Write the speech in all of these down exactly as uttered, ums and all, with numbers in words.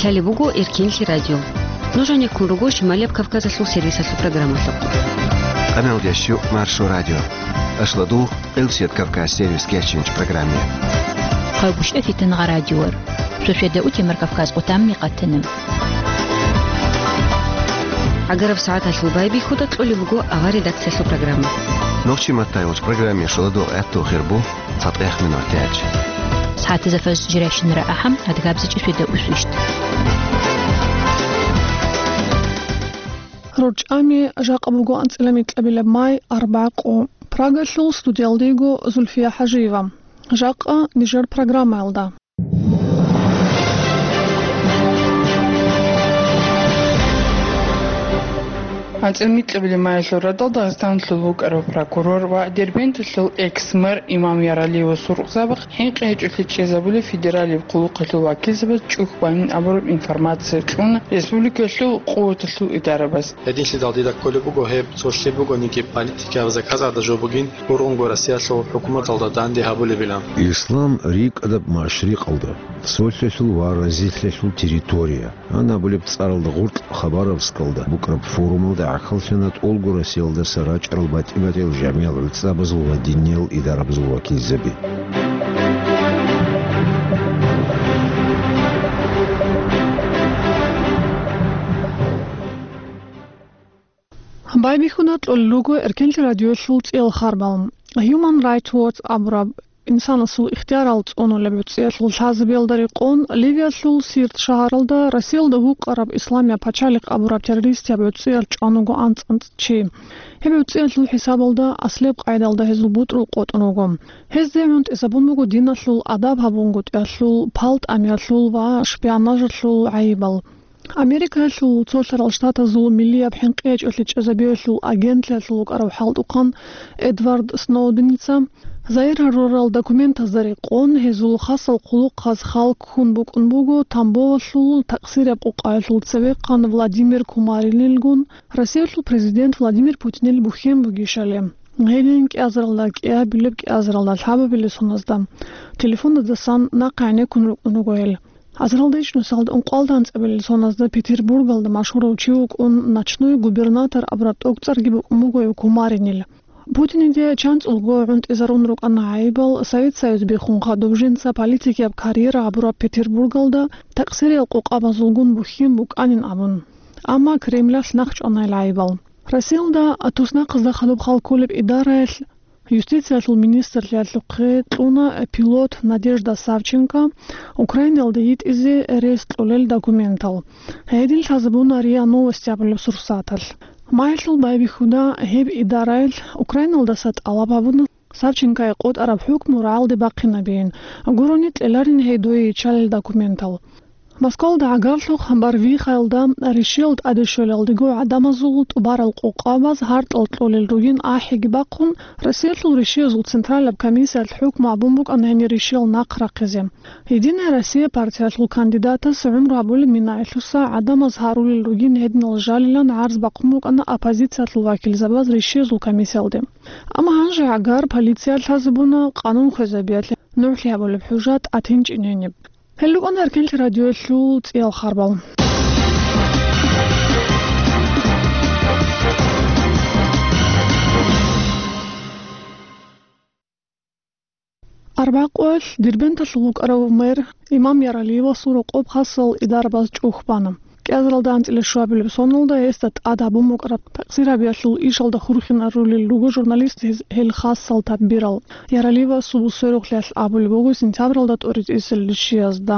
Лъалеб буго Эркенлъи радио. Нуж гьанеккун руго Шималияб Кавказалъул сервисалъул программалъухъ. Къаналда щук Маршо радио. Ашлодугъ Къилсият Кавказ сервис кечинч программе. Хъайбушта фитангъа радиор. Сосведа утемар Кавказ къутамни къатана. ГӀагараб сагӀаталъул байбихьуда кьолеб буго авар редакциялъул программа. Нохчи маттайолч программе шоладугъ гӀатту хирбу. ЦатӀех минутач. СагӀатазда фаз жиращинара ахӀам, адгабзичӀи светда усвищт. РорчӀами жакъа буго анцӀила микьабилаб май, арбагъ къо. Прагалъул студиялдего Зульфия ХӀажиева. Жакъа нижер программаялда. АнцӀил микьабилеб майилъул радал Дагъистаналъул вукӀарав прокурор ва Дербенталъул экс-мэр Имам Яралиевасул рукъзабахъ хӀинкъи гьечӀолъи чӀезабулеб федералияб хъулухъалъул вакилзабаз чӀухь бани абураб информация кьуна республикалъул къуваталъул идарабаз. Гьединлъидал дида кколеб буго гьеб, цолъи бугониги политикаяб заказалда жо бугин, ургъунго Россиялъул хӀукуматалда данде гьабулебилан. Ислам рикӀкӀадаб машрикъалда, цолъалъул ва разилъалъул территория. Гьанабулеб цӀаралда гъоркь Хабаровскалда букӀараб форумалда гӀахьаллъана тӀолго Россиялдаса рачӀарал батӀи-батӀиял жамигӀал гӀуцӀабазул ва диниял идарабазул вакилзаби. Байбихьуда кьолел руго Эркенлъи радиоялъул цӀиял харбал. Human Rights Watch абураб инсанасул ихтиярал цӀунулеб гӀуцӀиялъул лъазабиялда рекъон, Ливиялъул Сирт шагьаралда Россиялда вукъараб Исламияб пачалихъ абураб террористияб гӀуцӀиялъ чӀван вуго анцӀ-анцӀ чи. Гьеб гӀуцӀиялъул хӀисабалда аслияб къайдалда гьезул бутӀрул къотӀун вуго. Гьезде гӀунтӀизабун буго диналъул, адаб гьабунгутӀиялъул, палтӀамиялъул ва шпионажалъул гӀайибал. Америкаялъул Цолъарал Штатазул миллияб хӀинкъи гьечӀолъи чӀезабиялъул агентлъиялъул вукӀарав хӀалтӀухъан Эдвард Сноуденица загьир гьарурал документазда рекъон, гьезул хасал хъулухъаз хал ккун букӀун буго Тамбовалъул такъсирияб къукъаялъул цевехъан Владимир Кумаринилгун Россиялъул президент Владимир Путинил бухьен бугищали. Гьедин кӀиазаралда кӀиабилеб, кӀиазаралда лъабабилеб соназда телефоназдасан нахъе гӀенеккун рукӀун руго гьел. Азаралда иш нусалда ункъоялда анцӀабилеб соназда Петербургалда машгьурав чи вукӀун, ночной губернатор абураб тӀокӀцӀарги букӀун буго гьев Кумаринил. Путиниде чанцӀулго гӀунтӀизарун рукӀана гӀайибал, Совет Союз биххун хадуб жинца политикияб карьера гьабураб Петербургалда такъсирияб къукъабазулгун бухьен букӀанин абун. Амма Кремлалъ нахчӀвана гьел гӀайибал. Россиялда туснахъазда хадуб хал кколеб идараялъ юстициялъул министрлъиялъухъе кьуна пилот Надежда Савченко Украинаялда йитӀизе рес кьолел документал. Гьедин лъазабуна РИА Новости абулеб сурсаталъ. Майилъул байбихьуда гьеб идараялъ Украиналдаса тӀалаб гьабуна Савченкое къотӀараб хӀукму рагӀалде бахъинабейин, гурони кьеларин гьей дое иччалел документал. Москвалда гӀагарлъухъ Барвихаялда ришиял тӀаде щвелалдего гӀадамазул тӀубарал къокъабаз гьартӀал кьолел ругин ахӀиги бахъун, Россиялъул ришиязул централаб комиссиялъ хӀукму гьабун букӀана гьенир ришиял нахъ рахъизе. Единая Россия партиялъул кандидатас гӀумру гьабулеб минаялъуса гӀадамаз гьарулел ругин гьединал жалилан гӀарз бахъун букӀана оппозициялъул вакилзабаз ришиязул комиссиялде. Амма гьанже гӀагар полиция лъазабуна, къанун хвезабиялъе нугӀлъи гьабулеб хӀужа тӀатинчӀин гьениб. Гьел рукӀана Эркенлъи радиоялъул цӀиял харбал. Арбакъуялъ Дербенталъул вукӀарав мэр Имам Яралиевасул рокъоб хасал идарабаз чӀухь бана. КӀиазаралда анцӀила щуабилеб соналда гьесда тӀад гьабун букӀараб такъсирабиялъул ишалда хурхинарулел руго журналист гьез-, гьел хасал тадбирал. Яралиевасул сверухълъиялъ абулеб буго сентябралда тӀоритӀисел ришиязда.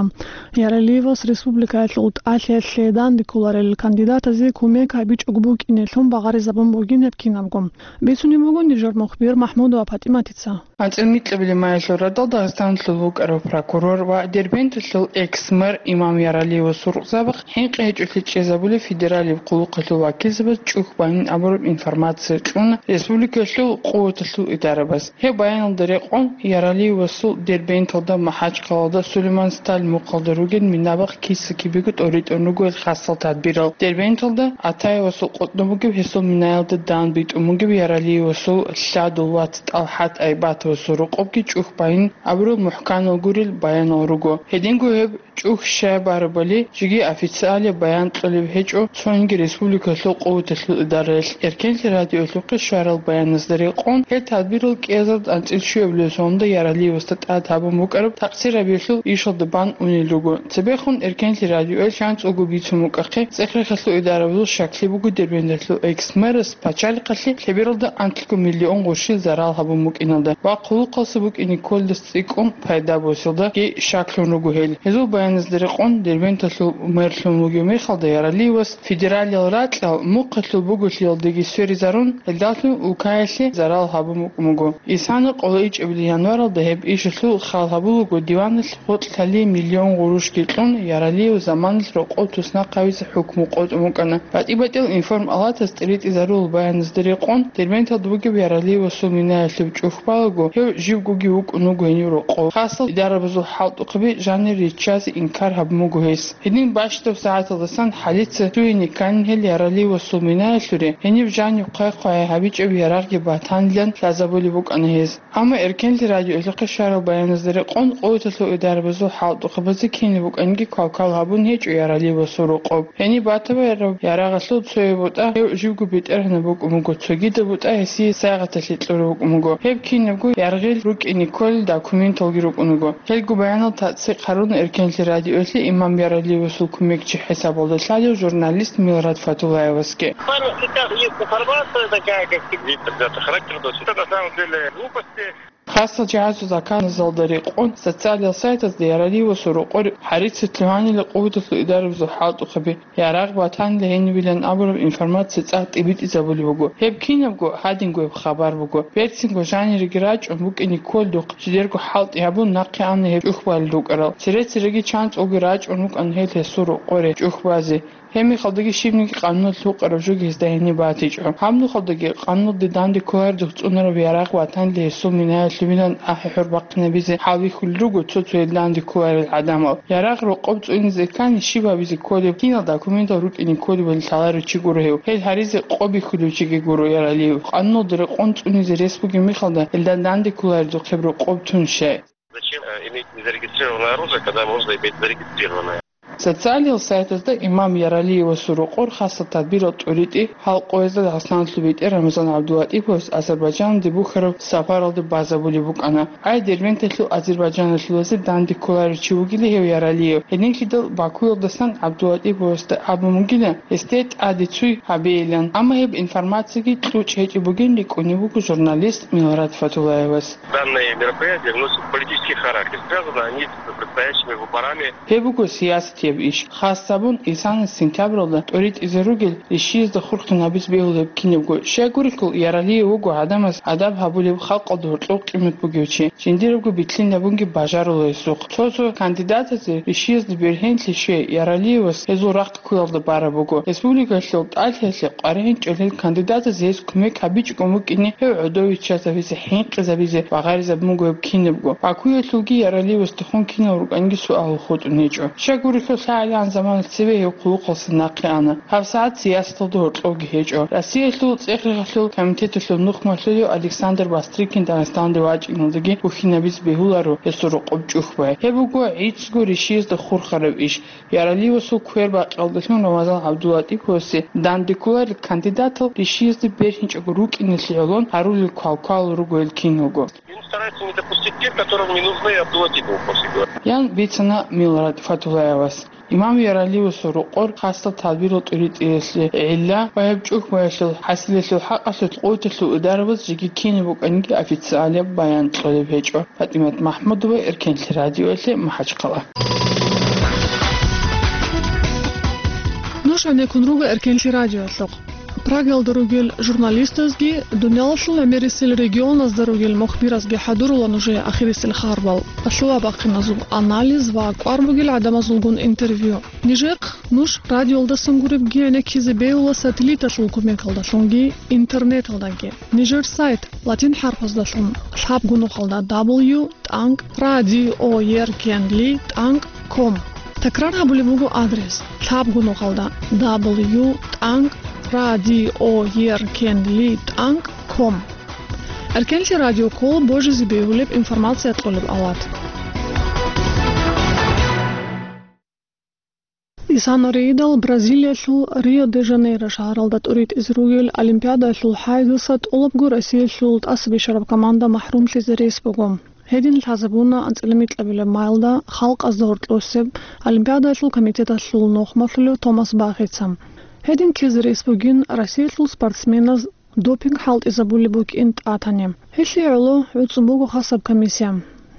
Яралиевас республикаялъул тӀалъиялъе данде кколарел кандидатазе кумек гьабичӀого букӀинелъун багъаризабун бугин гьеб кинабго. Бицунеб буго нижер мухбир МахӀмудова ПатӀиматица. АнцӀил микьабилеб майилъул радал Дагъистаналъул вукӀарав прокурор ва Дербенталъул экс-мэр Имам Яралиевасул рукъзабахъ хӀинкъи чӀухӀи чӀезабулеб федералияб хъулухъалъул вакилзабаз чӀухӀ байин абураб информация кьуна республикалъул къуваталъул идарабаз. Гьеб баяналда рекъон, Яралиевасул Дербенталда, МахӀачхъалада, Сулейман-Сталь мухъалда ругел минабахъ киса-кибего тӀоритӀун руго гьел хасал тадбирал. Дербенталда Атаевасул къотӀнун бугеб гьесул минаялда дан битӀун бугеб Яралиевасул лъадул вац ТӀалхӀат Айбатовасул рокъобги чӀухӀ байин абурал мухӀканал гурел баянал руго. Гьединго гьеб чӀухӀ щай барабали, жеги официалияб баян кьолеб гьечӀо цониги республикалъул къуваталъул идараялъ. Эркенлъи радиоялъухъе щварал баяназда рекъон, гьел тадбирал кӀиазард анцӀил щуабилеб соналда Яралиевасда тӀад гьабун букӀараб такъсир гьабиялъул ишалда бан унел руго. Цебехун Эркенлъи радиоялъ чанцӀулго бицун букӀахъе, ЦӀехрехалъул идарабазул щаклъи буго Дербенталъул экс-мэрас пачалихъалъе лъебералда анкьго миллион гъурщил зарал гьабун букӀиналда ва хъулухъалса букӀине кколдас цӀикӀкӀун пайда босиялдаги щаклъун руго гьел. Гьезул баяназда рекъон, Дербенталъул мэрлъун вугев мехалда Яралиевас федералиял ракьал мухъалъул буголъиялдаги сверизарун, гьелдалъун улкаялъе зарал гьабун букӀун буго. Исана къоло ичӀабилеб январалда гьеб ишалъул хал гьабулаго диваналъ гъоркь лъалие миллион гъурущги кьун, Яралиев заманалъ рокъов туснахъ гьавизе хӀукму къотӀун букӀана. БатӀи-батӀиял информ-палатас тӀиритӀизарулел баяназда рекъон, Дербенталда бугеб Яралиевасул минаялъуб чӀухӀ балаго, гьев живгоги вукӀун вуго гьенив рокъов. Хасал идарабазул хӀалтӀухъаби жанир риччазе инкар гьабун буго гьес. Гьедин бащдаб сагӀаталдасан хӀалица цугьине кканин гьел Яралиевасул минаялъуре, гьениб жаниб хъвай-хъвай гьабичӀеб ярагъги батанилан лъазабулеб букӀана гьез. Амма Эркенлъи радиоялъухъе щварал баяназда рекъон, къуваталъул идарабазул хӀалтӀухъабазе кинаб букӀанги квалквал гьабун гьечӀо Яралиевасул рокъоб. Гьениб батараб ярагъалъул цояб бутӀа гьев живго бетӀергьанаб букӀун буго, цогидаб бутӀа гьесие сайгъаталъе кьураб букӀун буго. Гьеб кинабго яргъил рукӀине кколел документалги рукӀун руго. Гьелго баянал тасдикъ гьаруна Эркенлъи радиоялъе имам Яралиевасул кумекчи хӀисабалда лъалев журналист Милрат Фатуллаевасги. Буквально сейчас есть информация такая, как сидит, ребята, характер носит. Это на самом деле глупости. Хасал жагьазул заказазалда рекъон, социалиял сайтазда Яралиевасул рокъор гьарица лъугьанила къуваталъул идарабазул хӀалтӀухъаби, ярагъ батанила гьенибилан абураб информация цӀакъ тӀибитӀизабулеб буго. Гьеб кинабго гьадинго гьеб хабар буго. Берцинго жанириги рачӀун букӀине кколдухъ, жидерго хӀалтӀи гьабун, нахъе ана гьеб чӀухӀ балел рукӀарал. Цере-цереги чанцӀулги рачӀун рукӀана гьел гьесул рокъоре чӀухӀ базе. Гьеб мехалдаги щибниги къануналъ гьукъараб жо гьезда гьениб батичӀо. Гьаб нухалдаги къануналде данде кколарелдухъ цӀунараб ярагъ батанила гьесул минаялъубилан ахӀи-хӀур бахъинабизе хӀалбихьулел руго цо-цоял данде кколарел гӀадамал. Ярагъ рокъоб цӀунизе ккани, щиб гьабизе кколеб, кинал документал рукӀине кколебали лъаларев чи гуро гьев. Гьел гьаризе къо бихьулев чиги гуро Яралиев. Къануналда рекъон цӀунизе рес бугеб мехалда, гьелда данде кколарелдухъ гьеб рокъоб тун щай? Зачем, э, иметь незарегистрированное оружие, когда можно иметь зарегистрированное? Социалиял сайтазда имам Яралиевасул рокъор хасал тадбирал тӀоритӀи гьал къоязда Дагъистаналъул бетӀер Рамазан ГӀабдулатӀиповас Азербайджаналде бухьараб сапаралда базабулеб букӀана. Гьай, Дербенталъул азербайджаналъулазе данде кколарев чи вугила гьев Яралиев. Гьединлъидал Бакуялдасан ГӀабдулатӀиповасда абун бугила гьесде тӀаде цуй гьабейилан. Амма гьеб информацияги кьучӀ гьечӀеб бугин рикӀкӀунеб буго журналист Милрат Фатуллаевас. Данные мероприятия носят политический характер. Связаны они с предстоящими выборами. Гьеб буго сиясатияб иш. Хас гьабун, исана сентябралда тӀоритӀизе ругел ришиязда хурхинабиз бегьулеб кинабго. Щайгурелъул, Яралиев вуго гӀадамаз адаб гьабулев, халкъалда гьоркьов къимат бугев чи. Жиндирабго битлъинабунги бажарула гьесухъ. Цо-цо кандидатазе ришиязда бергьенлъи щвей, Яралиевас гьезул рахъ ккуялда бараб буго. Республикалъул тӀалъиялъе къваригӀинчӀел гьел кандидатазе гьес кумек гьабичӀого букӀине, гьев гӀодов виччазабизе, хӀинкъизабизе ва гъаризабун буго гьеб кинабго. Бакуялъулги Яралиевасдехун кинал рукӀанги суалал хутӀун гьечӀо. Щайгурелъул, лъагӀалигӀан заманалъ цеве гьев хъулухъалса нахъе ана. ГьабсагӀат сиясаталда гьоркьовги гьечӀо. Россиялъул ЦӀехрехалъул комитеталъул нухмалъулев Александр Бастрыкин Дагъистаналде вачӀиналдаги бухьинабизе бегьуларо гьесул рокъоб чӀухӀбай. Гьеб буго гӀицӀго ришиязда хурхараб иш. Яралиевасул квербакъиялдалъун Рамазан ГӀабдулатӀиповасе данде кколарел кандидатал ришиязда бергьинчӀого рукӀиналъе гӀоло гьарулел квалквал руго гьел киналго. Им стараются не допустить тех, которым не нужны Абдулатипову после. Ян бицана Милрат Фатуллаевас. Имам Яралиевасул рокъор хасал тадбирал тӀоритӀиялъе гӀилла ва гьеб чӀухӀбаялъул хӀасилалъул хӀакъалъулъ къуваталъул идарабаз жеги кинаб букӀаниги официалияб баян кьолеб гьечӀо. ПатӀимат МахӀмудова, Эркенлъи радиоялъе, МахӀачхъала. Нуж гӀенеккун руго Эркенлъи радиоялъухъ. Прагалда ругел журналистазги, дуниялалъул гӀемерисел регионазда ругел мухбиразги хӀадурула нужее ахирисел харбал, лъугьа-бахъиназул анализ ва кӀвар бугел гӀадамазулгун интервью. Нижехъ нуж радиолдасан гуребги гӀенеккизе бегьула сателлиталъул кумекалдалъунги интернеталдаги. Нижер сайт латин хӀарпаздалъун лъабго нухалда W тӀанкӀ радиоеркенли тӀанкӀ ком. Такрар гьабулеб буго адрес: лъабго нухалда W тӀанкӀ радиоеркенли тӀанкӀ ком. Эркенлъи радио ккола божизе бегьулеб информация кьолеб авлад. Исана Рейдал Бразилиялъул Рио-де-Жанейро шагьаралда тӀуритӀизе ругел Олимпиадаялъул хӀайзаса тӀолабго Россиялъул тӀаса бишараб команда махӀрумлъизе рес буго. Гьедин лъазабуна анцӀила микьабилеб майлда халкъазда гьоркьосеб Олимпиадаялъул комитеталъул нухмалъулев Томас Бахица. Гьедин ккезе рес бугин Россиялъул спортсменаз допинг хӀалтӀизабулеб букӀин тӀатани. Гьелъие гӀоло гӀуцӀун буго хасаб комиссия.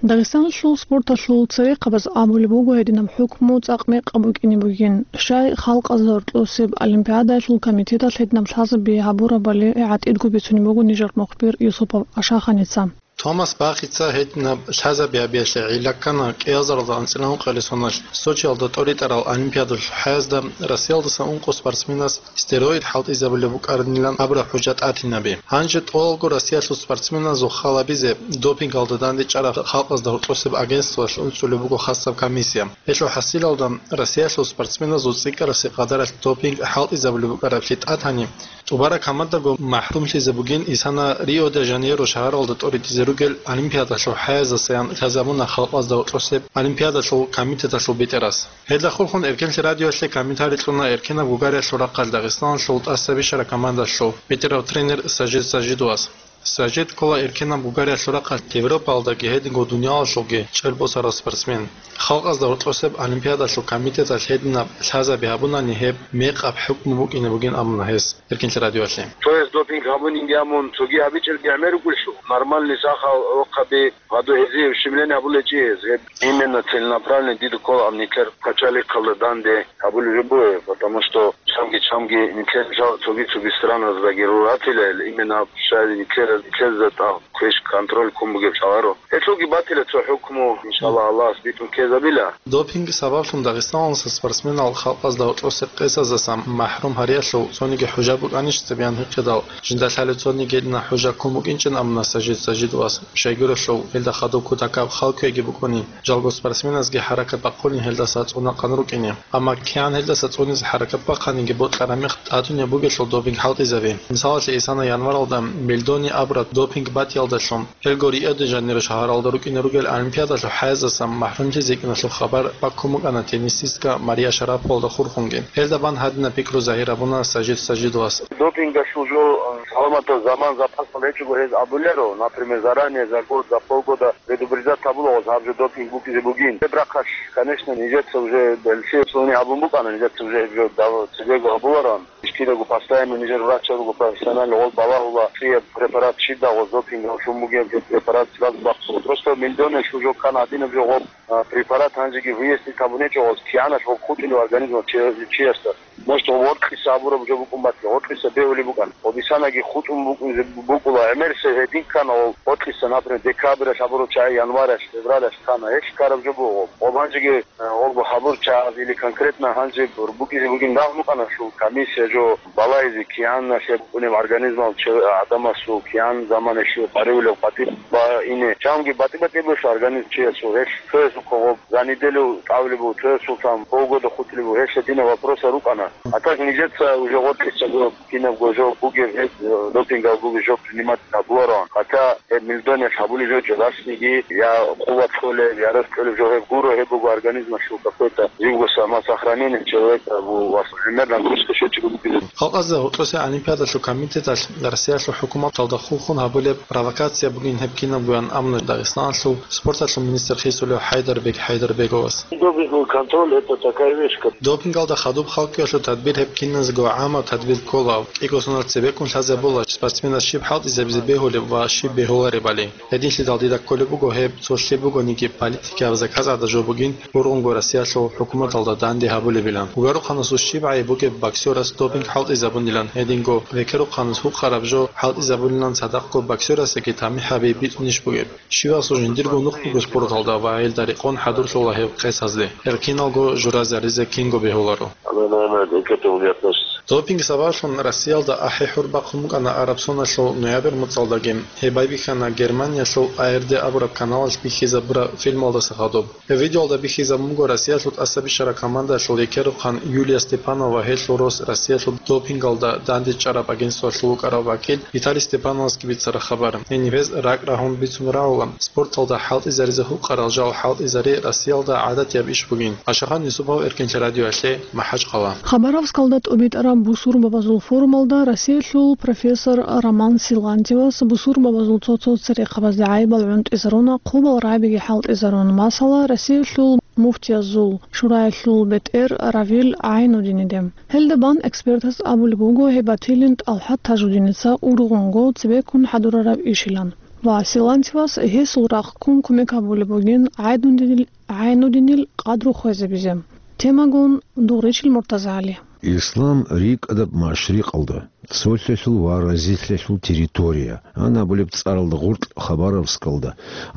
Дагъистаналъул спорталъул церехъабаз абулеб буго гьединаб хӀукму цӀакъ мекъаб букӀине бугин, щай халкъазда гьоркьосеб Олимпиадаялъул комитеталъ гьединаб лъазаби гьабурабали гӀатӀидго бицунеб буго нижер мухбир Юсупов Ашаханица. Томас Бахица гьединаб лъазаби гьабиялъе гӀилла ккана кӀиазаралда анцӀила ункъоялда соналъ Сочиялда тӀоритӀарал Олимпиадалъул хӀаязда Россиялдаса ункъо спортсменас стероид хӀалтӀизабулеб букӀарабилан абураб хӀужа тӀатинаби. Гьанже тӀолалго Россиялъул спортсменазул хал гьабизе допингалда дандечӀараб халкъазда гьоркьосеб агентствоялъ уцӀулеб буго хасаб комиссия. Гьелъул хӀасилалда Россиялъул спортсменазул цӀикӀкӀарасе къадаралъ допинг хӀалтӀизабулеб букӀараблъи тӀатани, тӀубараб командаго махӀрумлъизе бугин Исана Рио-де-Жанейро шагьаралда тӀоритӀизе ругел Олимпиадалъул хӀаязасаян лъазабуна халкъазда гьоркьосеб Олимпиадалъул комитеталъул бетӀерас. Гьелда хурхун Эркенлъи радиоялъе комментарий кьуна эркенаб гугариялъул рахъалъ Дагъистаналъул тӀаса бишараб командалъул бетӀерав тренер Сажид Сажидовас. Сажид ккола эркенаб гугариялъул рахъалъ Европаялдаги гьединго дуниялалъулги чӀел босарав спортсмен. Халкъазда гьоркьосеб Олимпиадалъул комитеталъ гьединаб лъазаби гьабунани гьеб мекъаб хӀукму букӀине бугин абуна гьес Эркенлъи радиоялъе. Цояс допинг гьабунинги гьамун, цоги гьабичӀелги гӀемер рукӀулъул. Нормальный сахал рохъаби, гьадо гьезие ущемление гьабулечӀи гьез. Гьеб именно целенаправленно дида ккола аб нилъер пачалихъалда данде гьабулеб жо бугеб, потому что чамги-чамги нилъер жал цоги-цоги страназдаги руратила, именно аб щай нилъер, нилъезда тӀад квеш контроль ккун бугеб лъаларо. Гьелъулги батила цо хӀукму, иншаллагь, Аллагьас битӀун ккезабила. Допинг сабаблъун Дагъистаналдаса спортсменал халкъазда гьоркьосе къесазасан махӀрум гьариялъул цониги хӀужа букӀанищ цебе гьанхъидал, жинда лъалев цониги гьедина хӀужа ккун букӀинчӀин абуна Сажид Сажидовас. Щайгурелъул, гьелда хадуб кутакаб хал кквеги букӀуни, жалго спортсменазги хӀаракат бахъуни гьелдаса цӀунахъан рукӀине. Амма кигӀан гьелдаса цӀунизе хӀаракат бахъаниги бокьараб мех тӀатунеб бугелъул допинг хӀалтӀизаби. Мисалалъе, Исана январалда Мельдони абураб допинг батӀиялдалъун, гьелго Рио-де-Жанейро шагьаралда рукӀине ругел Олимпиадалъул хӀаязасан махӀрумлъизе йикӀиналъул хабар баккун букӀана теннисистка Мария Шараповалда хурхунги. Гьелда бан гьадинаб пикру загьир гьабуна Сажид Сажидовас. Допингалъул жо, э, саламатаб заман запасал гьечӀого гьез абуларо, например, заранее, за год, за полгода предупреждать гьабула гъоз гьаб жо допинг букӀизе бугин. Гьеб рахъалъ, конечно, нижеца уже беллъи цӀуни гьабун букӀана, нижеца уже гьеб жо дав-, цебего гьабуларо. Кидаго постоянно нижер врачал руго профессионально гъол балагьула, цӀияб препарат щиб дагъо, допинг гьалъун бугеб препарат сразу бахъула. Просто Мельдони жо ккана гьадинаб жо гъоб, а, препарат гьанжеги выяснить гьабун гьечӀо гъоз, кигӀанаш гъоб хутӀулев организмалъ чи-, чиясда. Может, гъоб гъоркьиса абураб жо букӀун батила, гъоркьиса бегьулеб букӀан. Гъоб Исанаги хутӀун букӀунзе букӀула, гӀемерисеб гьедин ккана гъоб гъоркьиса, например, декабралъ абураб чагӀи январалъ, февралалъ ккана, гьелъ ккараб жо буго гъоб. Гъоб гьанжеги Гъолго хабур чагӀаз или конкретно гьанже бур-, букӀизе бугин рагьмукъана, щул комиссия жо балайзе кигӀанна лъеб букӀунеб организмал чи-, гӀадамасул кигӀан замана щив къаревулев къватӀиб ба ине. Чамги батӀи-батӀи бугелъул организм чиясул, гьелъ цоясухъа гъоб за неделю тӀавулеб буго, цоясул там полгода хутӀулеб буго, гьелъ гьединаб вопросал рукӀана. А так нижеца уже гъоркьиса гъоб кинабго жо бугеб гьеб, э, допингал бугеб жо принимать гьабулароан. Хотя гьеб Мельдониялъ гьабулеб жо чӀалалъниги, я къуват кьолеб, я рес кьолеб жо гьеб гуро, гьеб буго организмалъул какой-то живго самосохранение человека, бу-, вас примерно нагрузка щвечӀого бугеб. Халкъазда гьоркьосе Олимпиадалъул комитеталъ Россиялъул хӀукуматалда хурхун гьабулеб провокация бугин гьеб кинабгоян абуна Дагъистаналъул спорталъул министр хисулев ХӀайдарбек ХӀайдарбеговас. Добрый контроль, это такая вещь, как Допингалда хадуб халкъиялъул Тадбир гьеб киназго гӀамаб тадбир ккола, кӀиго соналъ цебеккун лъазабула спортсменас щиб хӀалтӀизабизе бегьулеб ва щиб бегьуларебали. Гьединлъидал дида кколеб буго гьеб цо лъеб бугониги политикияб заказ гӀадаб жо бугин, гургъунго Россиялъул хӀукуматалда данде гьабулебилан. Вугарухъанасул щиб гӀайиб бугеб боксерас допинг хӀалтӀизабунилан, гьединго векерухъанас гьукъараб жо хӀалтӀизабунилан цадахъго боксерасдаги тамихӀаби бицунищ бугеб? Щивасул жиндирго нух буго спорталда ва гьелда рекъон хӀадурлъула гьеб къесазде. Гьел киналго журазаризе кинго бегьуларо. Она, наверное, к этому не относится. Допинг сабаблъун Россиялда ахӀи-хӀур бахъун букӀана араб соналъул ноябрь муцӀалдаги. Гьеб байбихьана Германиялъул А Р Д абураб каналалъ бихьизабураб фильмалдаса хадуб. Гьеб видеоялда бихьизабун буго Россиялъул тӀаса бищараб командаялъул рекерухъан Юлия Степанова ва гьелъул рос Россиялъул допингалда дандечӀараб агентствоялъул вукӀарав вакил Виталий Степановасги бицараб хабар. Гьениб гьез ракӀ рагьун бицун рагӀула, спорталда хӀалтӀизаризе гьукъарал жал хӀалтӀизари Россиялда гӀадатияб иш бугин. Ашахан Юсупов, Эркенлъи радиоялъе, МахӀачхъала. Хабаровскалда тӀубитӀараб бусурбабазул форумалда Россиялъул профессор Роман Силантьевас бусурбабазул цо-цо церехъабазде гӀайибал гӀунтӀизаруна, хъубал рагӀабиги хӀалтӀизарун. Масала, Россиялъул муфтиязул шураялъул бетӀер Равил ГӀайнудиниде. Гьелда бан экспертас абулеб буго, гьеб батилин ТӀалхӀат Тажудиница ургъунго цебеккун хӀадурараб ишилан. Ва Силантьевас гьесул рахъ ккун кумек гьабулеб бугин ГӀайнудинил, ГӀайнудинил къадру хвезабизе. Темагун Дугъричил МуртазагӀали. Ислам рикӀкӀадаб машрикъалда, цолъалъул ва разилъалъул территория, ан абулеб цӀаралда гъоркь Хабаровскалда,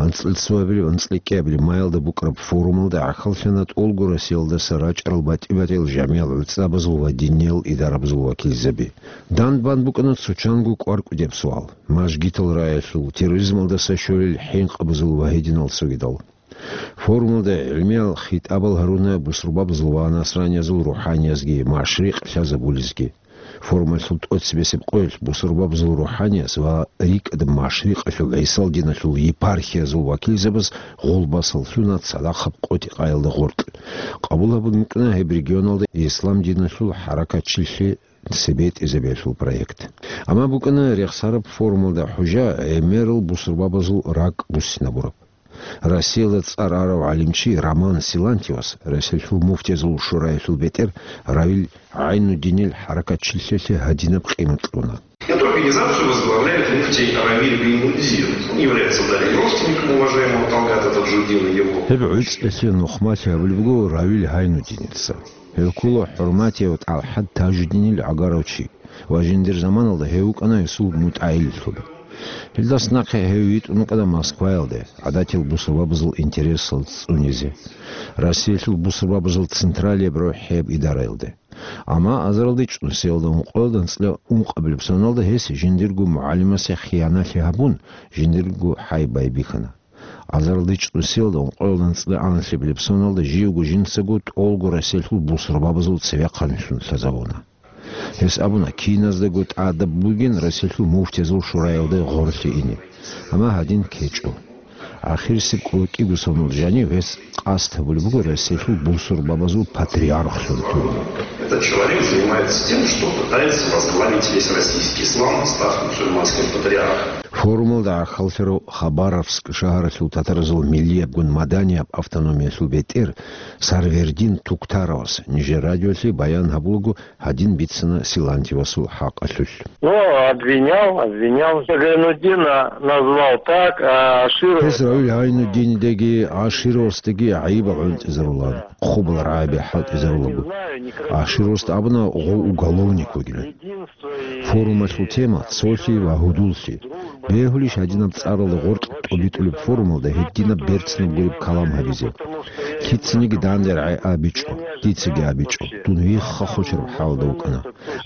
анцӀила цоабилеб, анцӀила кӀиабилеб майалда букӀараб форумалда гӀахьаллъана тӀолго Россиялдаса рачӀарал батӀи-батӀиял жамигӀал гӀуцӀабазул ва диниял идарабазул вакилзаби. Дандбан букӀана цо чанго кӀвар кӀудияб суал: мажгитал рагӀиялъул, терроризмалдаса щолел хӀинкъабазул ва гьединал цогидал. Форумалда гӀилмиял хитӀабал гьаруна бусурбабазул ва насраниязул рухӀаниязги машрикъ лъазабулезги. Форумалъул тӀоцебесеб къоялъ бусурбабазул рухӀаниязул ва рикӀкӀад машрикъалъул гӀисал диналъул епархиязул вакилзабаз гъолбасал лъуна цадахъаб къотӀи-къаялда гъоркь. Къабул гьабун букӀана гьеб регионалда ислам диналъул хӀаракатчилъи цебетӀезабиялъул проект. Амма букӀана рехсараб форумалда хӀужа гӀемерал бусурбабазул ракӀ буссинабураб. Россиялда цӀар арав гӀалимчи Роман Силантьевас Россиялъул муфтиязул шураялъул бетӀер Равил ГӀайнудинил хӀаракатчилъиялъе гьадинаб къимат кьуна. Эту организацию возглавляет муфтий Равиль Гайнуддин. Он является дальним родственником уважаемого Талгата Таджуддина, его. Гьеб гӀуцӀалъе нухмалъи гьабулеб буго Равил ГӀайнудиница. Гьев ккола хӀурматияв ТӀалхӀат Тажуддинил гӀагарав чи ва жиндир заманалда гьев вукӀана гьесул мутӀагӀиллъун. Гьелдаса нахъе гьев витӀун вукӀана Москваялде, гӀадатиял бусурбабазул интересал цӀунизе, Россиялъул бусурбабазул централияб рохӀияб идараялде. Амма азаралда чӀунсиялда ункъоялда анцӀила ункъабилеб соналда гьес жиндирго мугӀалимасе хияналъи гьабун, жиндирго хӀай байбихьана. Азаралда чӀунсиялда ункъоялда анцӀила аналъи билеб соналда живго жинцаго тӀолго Россиялъул бусурбабазул цевехъанлъун лъазабуна. Гьес абуна, киназдаго тӀадаб бугин Россиялъул муфтиязул шураялда гъорлъе ине. Амма гьадин ккечӀо. Ахирисеб кӀулакӀиго сонал жанив гьес къасд гьабулеб буго Россиялъул бусурбабазул патриархлъун лъугьине. Этот человек занимается тем, что пытается возглавить весь российский ислам, став мусульманским патриархом. Форумалда гӀахьаллъарав Хабаровск шагьаралъул татаразул миллиябгун маданияб автономиялъул бетӀер Сарвердин Туктаровас нижер радиолъе баян гьабулаго гьадин бицана Силантьевасул хӀакъалъулъ. Ну, обвинял, обвинял. Гайнуддина назвал так, а Аширов... Гьес Равил Гайнуддинидеги Ашировасдаги гӀайибал гӀунтӀизарулан, хъубал рагӀаби хӀалтӀизарулаго. Ашировасда абуна гъов уголовник вугилан. Форумалъул тема цолъи ва гьудуллъи. Бегьулищ гьадинаб цӀаралда гъоркь тӀубитӀулеб форумалда гьединаб берцинаб гуреб калам гьабизе? Лъицаниги данде рагӀи абичӀо, дицаги абичӀо, дун вихха хочараб хӀалда вукӀана.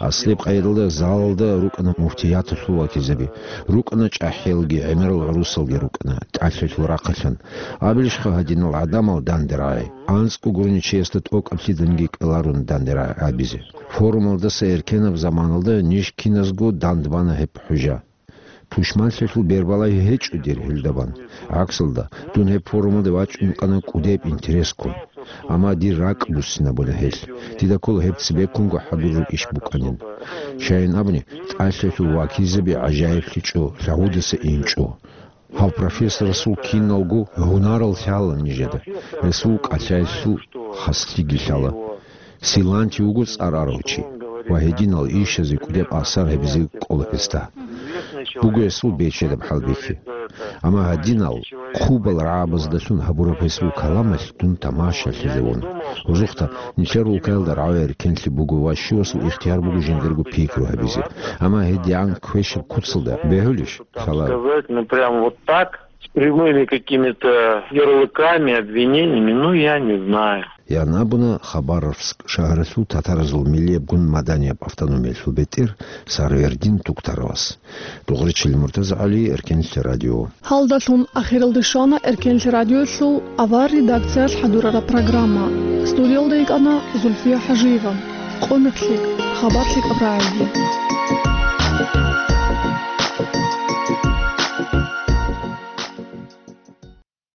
Аслияб къайдалда залалда рукӀана муфтияталъул вакилзаби, рукӀана чӀахӀиялги гӀемерал гӀурусалги рукӀана, тӀалъалъул рахъалъан. Абилищха гьадинал гӀадамал данде рагӀи? АнцӀго гурони чиясда тӀокӀаблъиданги кӀаларун данде рагӀи абизе. Форумалдаса эркенаб заманалда ниж киназго дандбана гьеб хӀужа. Пушманлъиялъул бербалагьи гьечӀо дир гьелдабан. ГӀаксалда, дун гьеб форумалде вачӀун вукӀана кӀудеб интерескун. Амма дир ракӀ буссинабуна гьелъ. Дида ккола гьеб цебеккунго хӀадураб иш букӀанин. Щайин абуни, тӀалъалъул вакилзаби гӀажаиблъичӀо, лъагӀудаса инчӀо. Гьав профессорасул киналго гьунарал лъала нижеда, гьесул кӀалъаялъул хаслъиги лъала. Силанти вуго цӀар арав чи ва гьединал ишазе кӀудияб асар гьабизе кӀола гьесда. Буго гьесул бечедаб хӀалбихьи. Амма гьадинал хъубал рагӀабаздалъун гьабураб гьесул каламалъ дун тамашалъизавун. Гьезухъа нилъер улкаялда рагӀи эркенлъи буго ва щивасул ихтияр буго жиндирго пикру гьабизе. Амма гьедигӀан квешаб куцалда бегьулищ? Сказать, ну, прям вот так, с прямыми какими-то ярлыками, обвинениями, ну, я не знаю. Ян абуна Хабаровск шагьаралъул татаразул миллиябгун маданияб автономиялъул бетӀер Сарвердин Туктаровас. Дугъричил МуртазагӀали, Эркенлъи радио. Гьалдалъун ахиралде щвана Эркенлъи радиоялъул авар редакциялъ хӀадурараб программа. Студиялда йикӀана Зульфия ХӀажиева. Къо-мех лъикӀ, хабар лъикӀаб рагӀиги.